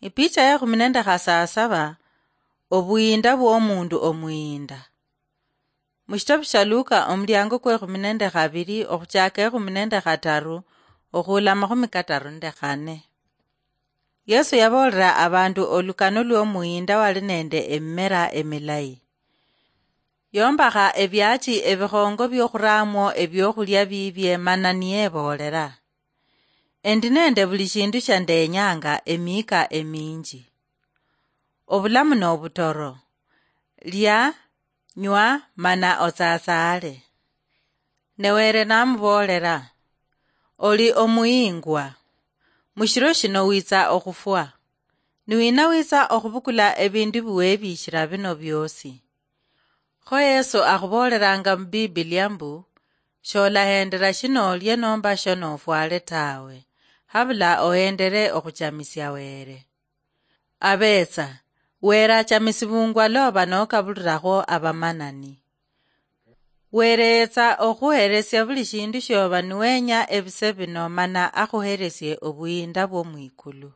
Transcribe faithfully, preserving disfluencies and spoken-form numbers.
Ipicha ya ekhumi nende khasasaba, obuyiinda bw'omundu omuyiinda. Mushitabu sha Luka, omuliango kwa ekhumi nende khabili, okhuchaka ekhumi nende khataru, okhuula amakhumi kataru nende khane. Yesu yaboolera abandu olukano lw'omuyiinda wali nende emimera emilayi. Yombakha ebiachi ebikhongo biokhuraamwo ebiokhulia bibie mana niyeboolera, "Endi nende buli shindu sha ndenyanga emiika eminji. Obulamu nobutoro. Lia, nywa, mana otsasaale." Ne Were namuboolera, "Oli omuyingwa. Mushiro shino witsa okhufwa. Niwina witsa okhubukula ebindu biwebiishira bino biosi?" Kho Yesu akhuboolelanga mu Bibilia mbu, "Sholahendela shinoolye nomba shonofwale tawe, habula ohendele okhuchamisia Were." Abetsa, Were achamisibungwa loba nokabulilakho abamanani. Were yetsa okhuhelesia buli shindu shioba niwenya ebise bino mana akhuhelesie obuyiinda bwo mwikulu.